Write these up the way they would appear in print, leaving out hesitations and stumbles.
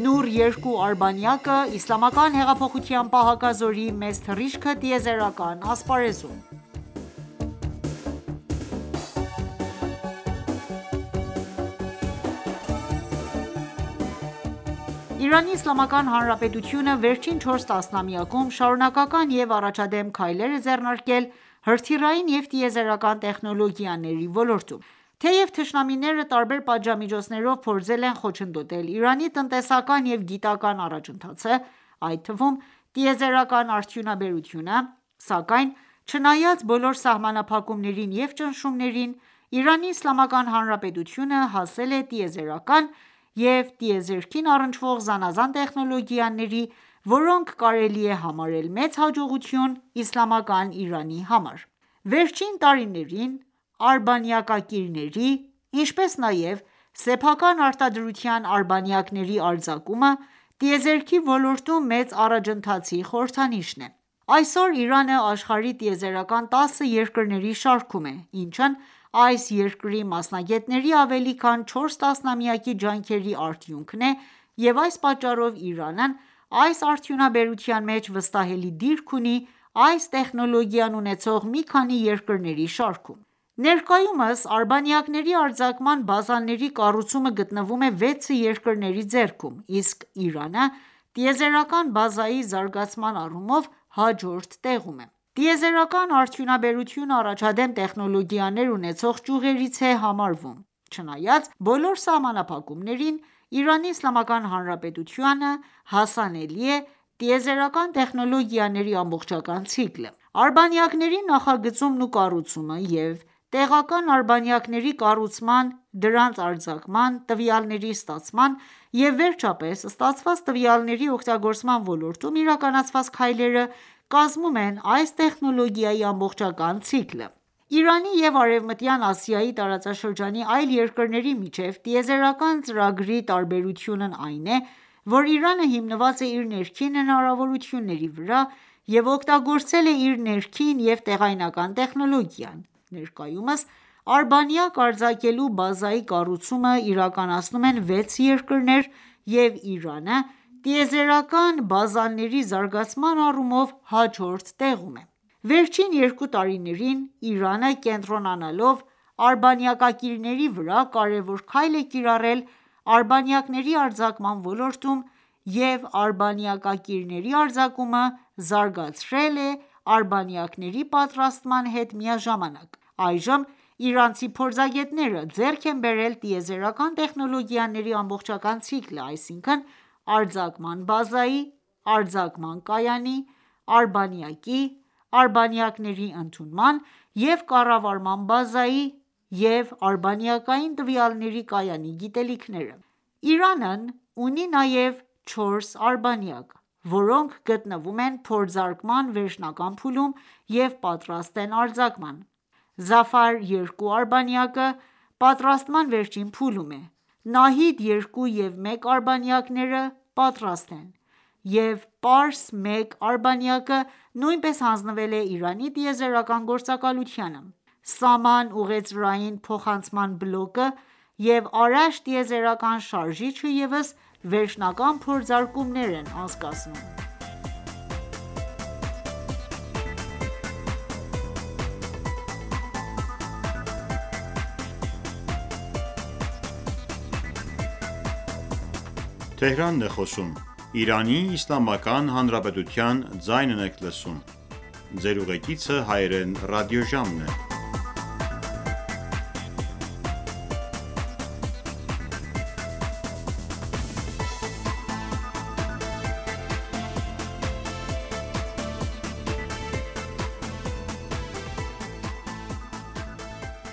Նուր 2 արբանյակը իսլամական հեղափոխության պահակազորի մեծ թռիչքը տիեզերական ասպարեզում։ Իրանի Իսլամական Հանրապետությունը վերջին 4 տասնամյակում շարունակական և առաջադեմ քայլեր է ձեռնարկել հրթիռային և տիեզերական տեխնոլոգիաների ոլորտում: Թեև թշնամիները տարբեր պատժամիջոցներով փորձել են խոչընդոտել Իրանի տնտեսական և գիտական առաջընթացը, այդ թվում՝ տիեզերական արդյունաբերությունը, սակայն չնայած բոլոր սահմանափակումներին և ճնշումներին, Իրանի Իսլամական Հանրապետությունը հասել է տիեզերական և տիեզերքին առնչվող զանազան տեխնոլոգիաների, որոնք կարելի է համարել մեծ հաջողություն իսլամական Իրանի համար: Վերջին տարիներին արբանյակակիրների, ինչպես նաև սեփական արտադրության արբանյակների արձակումը տիեզերքի ոլորտում մեծ առաջընթացի խորհրդանիշն է: Այսօր Իրանը աշխարհի տիեզերական 10 երկրների շարքում է, ինչն այս երկրի մասնագետների ավելի քան 4 տասնամյակի ջանքերի արդյունքն է և այս պատճառով Իրանն այս արդյունաբերության մեջ վստահելի դիրք ունի այս տեխնոլոգիան ունեցող մի քանի երկրների շարքում: Ներկայումս արբանյակների արձակման բազաների կառուցումը գտնվում է 6 երկրների ձեռքում, իսկ Իրանը տիեզերական բազայի զարգացման առումով հաջորդ տեղում է: Տիեզերական արդյունաբերությունը առաջադեմ տեխնոլոգիաներ ունեցող ճյուղերից է համարվում: Չնայած բոլոր սահմանափակումներին, Իրանի Իսլամական Հանրապետությանը հասանելի է տիեզերական տեխնոլոգիաների ամբողջական ցիկլը: Արբանյակների նախագծումն ու կառուցումը և տեղական արբանյակների կառուցման, դրանց արձակման, տվյալների ստացման և վերջապես ստացված տվյալների օգտագործման ոլորտում իրականացված քայլերը կազմում են այս տեխնոլոգիայի ամբողջական ցիկլը: Իրանի և Արևմտյան Ասիայի տարածաշրջանի այլ երկրների միջև տիեզերական ծրագրի տարբերությունն այն է, որ Իրանը հիմնված է իր ներքին հնարավորությունների վրա և օգտագործել է իր ներքին և տեղայնական տեխնոլոգիան: Ներկայումս արբանյակ արձակելու բազայի կառուցումը իրականացնում են 6 երկրներ և Իրանը տիեզերական բազաների զարգացման առումով հաջորդ տեղում է: Վերջին 2 տարիներին Իրանը կենտրոնանալով արբանյակակիրների վրա կարևոր քայլ է կիրառել արբանյակների արձակման ոլորտում և արբանյակակիրների արձակումը զարգացրել է արբանյակների պատրաստման հետ միաժամանակ: Այժմ իրանցի փորձագետները ձեռք են բերել տիեզերական տեխնոլոգիաների ամբողջական ցիկլը, այսինքն՝ արձակման բազայի, արձակման կայանի, արբանյակի, արբանյակների ընդունման և կառավարման բազայի և արբանյակային տվյալների կայանի գիտելիքները: Իրանն ունի նաև 4 արբանյակ, որոնք գտնվում են փորձարկման վերջնական փուլում և պատրաստ են արձակման: Զաֆար-2 արբանյակը պատրաստման վերջին փուլում է, Նահիդ-2 և 1 արբանյակները պատրաստ են, և Պարս-1 արբանյակը նույնպես հանձնվել է Իրանի տիեզերական գործակալությանը: Սաման ուղեծրային փոխանցման բլոկը և Արաշ տիեզերական շարժիչը ևս վերջնական փորձարկումներ են անցկացնում: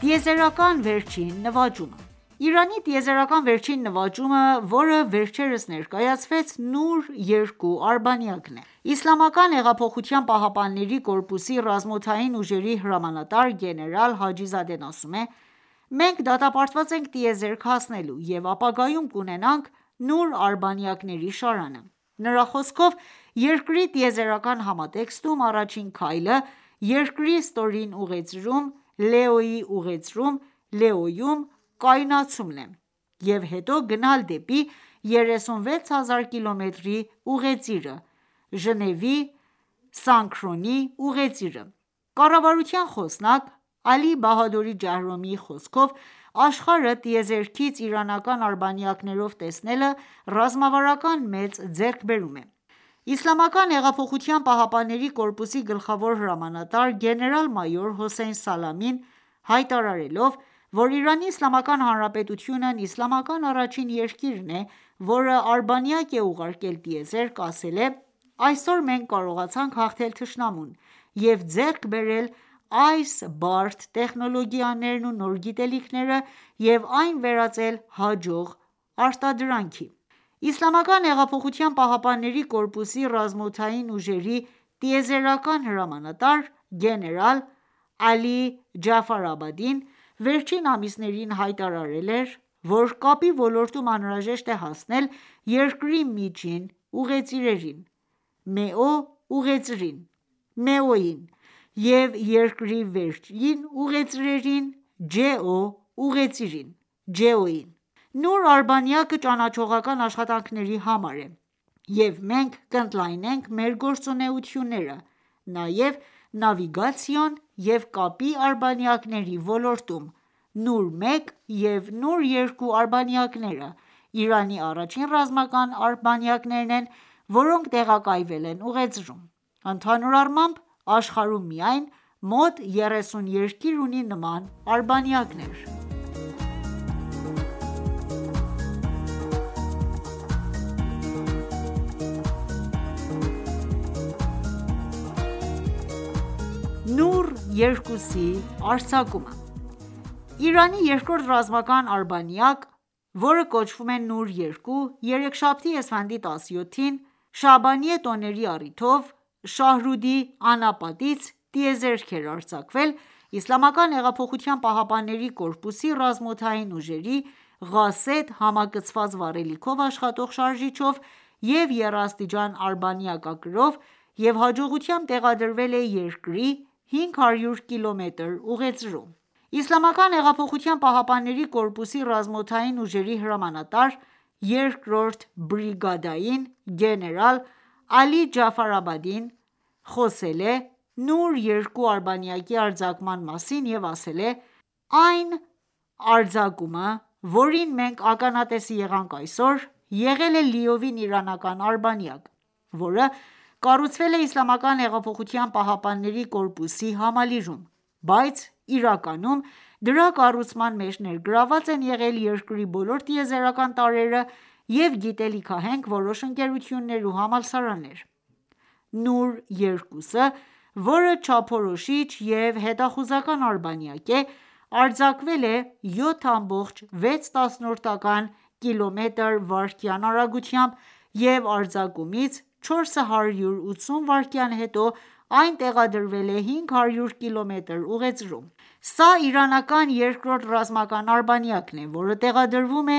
Տիեզերական վերջին նվաճումը Իրանի տիեզերական վերջին նվաճումը, որը վերջերս ներկայացվեց, Նուր 2 արբանյակն է: Իսլամական հեղափոխության պահապանների կորպուսի ռազմաօդային ուժերի հրամանատար գեներալ Հաջիզադեն ասում է. «Մենք դատապարտված ենք տիեզերք հասնելու և ապագայում կունենանք Նուր արբանյակների շարանը»: Նրա խոսքով, երկրի տիեզերական համատեքստում առաջին քայլը երկրի ստորին ուղեծրում Լեոյի ուղեծրում Լեոյում կայունացումն է և հետո գնալ դեպի 36,000 կիլոմետրի ուղեծիրը՝ Ժնևի Սանկրոնի ուղեծիրը։ Կառավարության խոսնակ Ալի Բահադուրի Ջահրոմիի խոսքով, աշխարհը տիեզերքից իրանական արբանյակներով տեսնելը ռազմավարական մեծ ձեռքբերում է։ Իսլամական հեղափոխության պահապանների կորպուսի գլխավոր հրամանատար գեներալ-մայոր Հոսեյն Սալամին հայտարարելով, որ Իրանի Իսլամական Հանրապետությունն իսլամական առաջին երկիրն է, որը արբանյակ է ուղարկել տիեզերք, ասել է.«Այսօր մենք կարողացանք հաղթել թշնամուն և ձեռք բերել այս բարդ տեխնոլոգիաներն ու նոր գիտելիքները և այն վերածել հաջող արտադրանքի»։ Իսլամական հեղափոխության պահապանների կորպուսի ռազմաօդային ուժերի տիեզերական հրամանատար գեներալ Ալի Ջաֆարաբադին վերջին ամիսներին հայտարարել էր, որ կապի ոլորտում անհրաժեշտ է հասնել երկրի միջին ուղեծիրերին (MEO ուղեծրին) և երկրի վերջին ուղեծրերին (GEO ուղեծիրին): Նուր արբանյակը ճանաչողական աշխատանքների համար է, և մենք կընդլայնենք մեր գործունեությունները նաև նավիգացիոն և կապի արբանյակների ոլորտում: Նուր-1 և Նուր-2 արբանյակները Իրանի առաջին ռազմական արբանյակներն են, որոնք տեղակայվել են ուղեծրում: Ընդհանուր առմամբ, աշխարհում միայն մոտ 30 երկիր ունի նման արբանյակներ։ Նուր-2-ի արձակումը Իրանի երկրորդ ռազմական արբանյակ, որը կոչվում է Նուր-2, երեքշաբթի, էսֆանդի 17-ին, Շաաբանիե տոների առիթով Շահռուդի անապատից տիեզերք էր արձակվել Իսլամական հեղափոխության պահապանների կորպուսի ռազմաօդային ուժերի Ղասեդ համակցված վառելիքով աշխատող շարժիչով և եռաստիճան արբանյակակրով և հաջողությամբ տեղադրվել է երկրի 500 կմ ուղեծրում։ Իսլամական հեղափոխության պահապանների կորպուսի ռազմաօդային ուժերի հրամանատար, 2-րդ բրիգադային գեներալ Ալի Ջաֆարաբադին խոսել է Նուր-2 արբանյակի արձակման մասին և ասել է.«Այն արձակումը, որին մենք ականատեսի եղանք այսօր, եղել է լիովին իրանական արբանյակ, որը կառուցվել է Իսլամական հեղափոխության պահապանների կորպուսի համալիրում, բայց իրականում դրա կառուցման մեջ ներգրավված են եղել երկրի բոլոր տիեզերական տարրերը և գիտելիքահենք որոշ ընկերություններ ու համալսարաններ: Նուր-2-ը, որը չափորոշիչ և հետախուզական արբանյակ է, արձակվել է 7,6 կմ/վայրկյան արագությամբ և արձակումից 480 վայրկյան հետո այն տեղադրվել է 500 կմ ուղեծրում: Սա իրանական երկրորդ ռազմական արբանյակն է, որը տեղադրվում է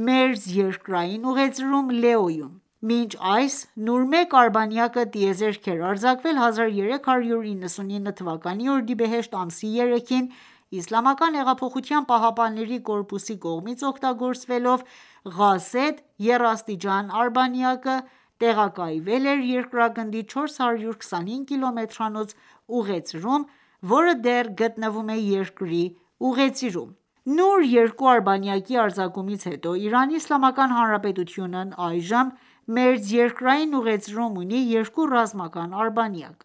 մերձերկրային ուղեծրում Լեոյում: Մինչ այս Նուր-1 արբանյակը տիեզերք էր արձակվել 1399 թվականի օրդիբեհեշտ ամսի 3-ին Իսլամական հեղափոխության պահապանների կորպուսի կողմից օգտագործվելով Ղասեդ եռաստիճան արբանյակը տեղակայվել էր երկրագնդի 425 կիլոմետրանոց ուղեծրում, որը դեռ գտնվում է երկրի ուղեծիրում: Նուր-2 արբանյակի արձակումից հետո Իրանի Իսլամական Հանրապետությունն այժմ մերձերկրային ուղեծրում ունի երկու ռազմական արբանյակ: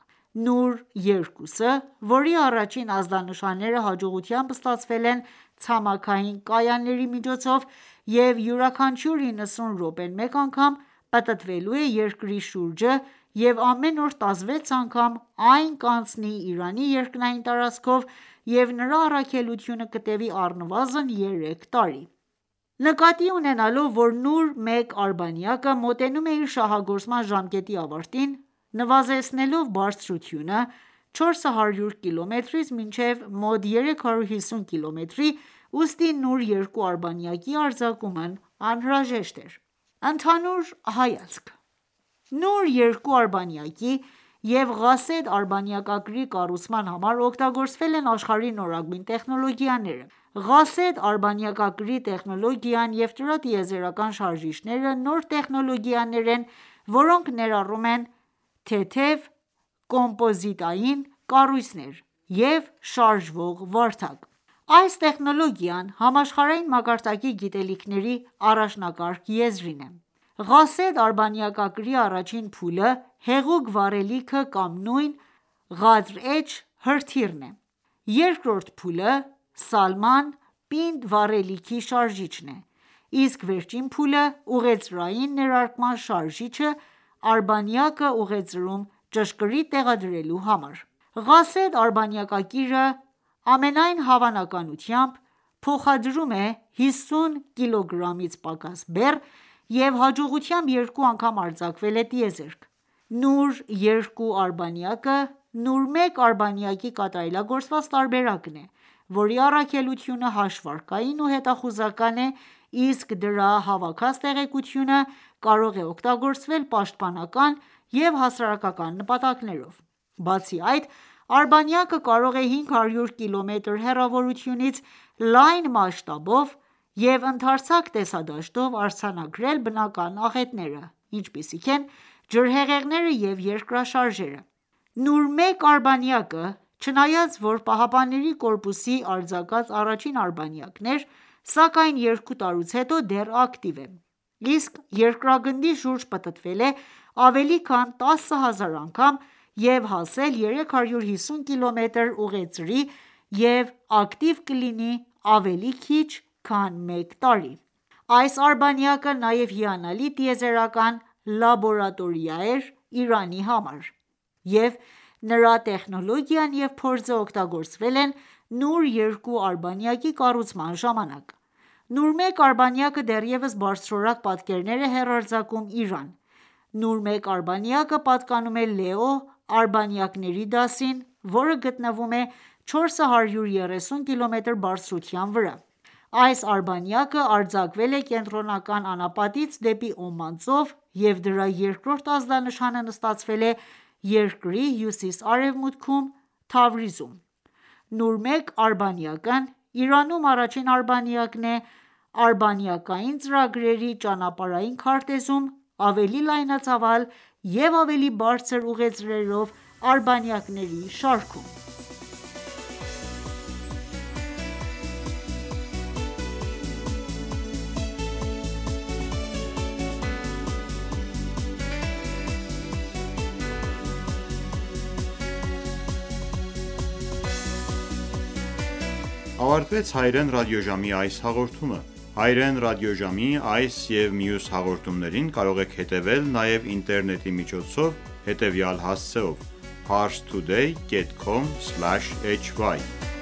Նուր-2-ը, որի առաջին ազդանշանները հաջողությամբ ստացվել են ցամաքային կայանների միջոցով և յուրաքանչյուր 90 րոպեն մեկ անգամ պտտվելու է երկրի շուրջը և ամեն օր 16 անգամ այն կանցնի Իրանի երկնային տարածքով և նրա առաքելությունը կտևի առնվազն 3 տարի: Նկատի ունենալով, որ Նուր-1 արբանյակը մոտենում է իր շահագործման ժամկետի ավարտին, նվազեցնելով բարձրությունը 400 կմ-ից մինչև մոտ 350 կմ, ուստի Նուր-2 արբանյակի արձակումն անհրաժեշտ էր: Ընդհանուր հայացք Նուր-2 արբանյակի և Ղասեդ արբանյակակրի կառուցման համար օգտագործվել են աշխարհի նորագույն տեխնոլոգիաները։ Ղասեդ արբանյակակրի տեխնոլոգիան և դրա տիեզերական շարժիչները նոր տեխնոլոգիաներ են, որոնք ներառում են թեթև կոմպոզիտային կառույցներ և շարժվող վարդակ: Այս տեխնոլոգիան համաշխարհային մակարդակի գիտելիքների առաջնակարգ եզրին է: Ղասեդ արբանյակակրի առաջին փուլը հեղուկ վառելիքը կամ նույն «Ղադր H» հրթիռն է: Երկրորդ փուլը Սալման պինդ վառելիքի շարժիչն է, իսկ վերջին փուլը ուղեծրային ներարկման շարժիչը արբանյակը ուղեծրում ճշգրիտ տեղադրելու համար: Ղասեդ արբանյակակիրը ամենայն հավանականությամբ փոխադրում է 50 կգ-ից պակաս բեռ և հաջողությամբ երկու անգամ արձակվել է տիեզերք: Նուր-2 արբանյակը Նուր 1 արբանյակի կատարելագործված տարբերակն է, որի առաքելությունը հաշվարկային ու հետախուզական է, իսկ դրա հավաքած տեղեկությունը կարող է օգտագործվել պաշտպանական և հասարակական նպատակներով: Բացի այդ, արբանյակը կարող է 500 կմ հեռավորությունից լայն մասշտաբով և ընդարձակ տեսադաշտով արձանագրել բնական աղետները, ինչպիսիք են ջրհեղեղները և երկրաշարժերը: Նուր 1 արբանյակը, չնայած որ ԻՀՊԿ-ի արձակած առաջին արբանյակն էր, սակայն երկու տարուց հետո դեռ ակտիվ է, իսկ երկրագնդի շուրջ պտտվել է ավելի քան 10,000 անգամ և հասել 350 կմ ուղեծրի և ակտիվ կլինի ավելի քիչ քան մեկ տարի: Այս արբանյակը նաև հիանալի տիեզերական լաբորատորիա էր Իրանի համար, և նրա տեխնոլոգիան և փորձը օգտագործվել են Նուր 2 արբանյակի կառուցման ժամանակ: Նուր 1 արբանյակը դեռևս բարձրորակ պատկերներ է հեռարձակում Իրան: Նուր 1 արբանյակը պատկանում է Լեո արբանյակների դասին, որը գտնվում է 430 կմ բարձրության վրա: Այս արբանյակը արձակվել է Կենտրոնական անապատից դեպի Օման ծով և դրա երկրորդ ազդանշանը նստացվել է երկրի հյուսիս-արևմուտքում Թավրիզում: Նուր 1 արբանյակն Իրանում առաջին արբանյակն է արբանյակային ծրագրերի ճանապարհային քարտեզում ավելի լայնածավալ և ավելի բարձր ուղեծրերով արբանյակների շարքում: Ավարտվեց հայրեն ռադիոժամի այս հաղորդումը: Հայրեն ռադիոժամի այս և մյուս հաղորդումներին կարող եք հետևել նաև ինտերնետի միջոցով հետևյալ հասցեով՝ parstoday.com/hy